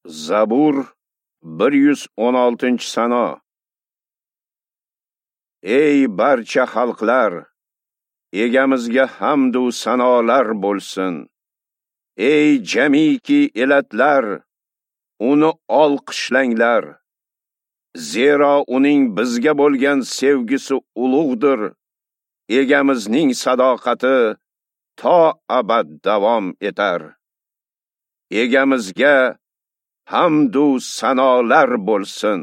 Zabur 116-sano. Ey barcha xalqlar, Egamizga hamd u sanolar bo'lsin. Ey jamiki elatlar, uni olqishlanglar. Zero uning bizga bo'lgan sevgisi ulug'dir. Egamizning sadoqati to abad davom etar. Egamizga hamd u sanolar bo'lsin.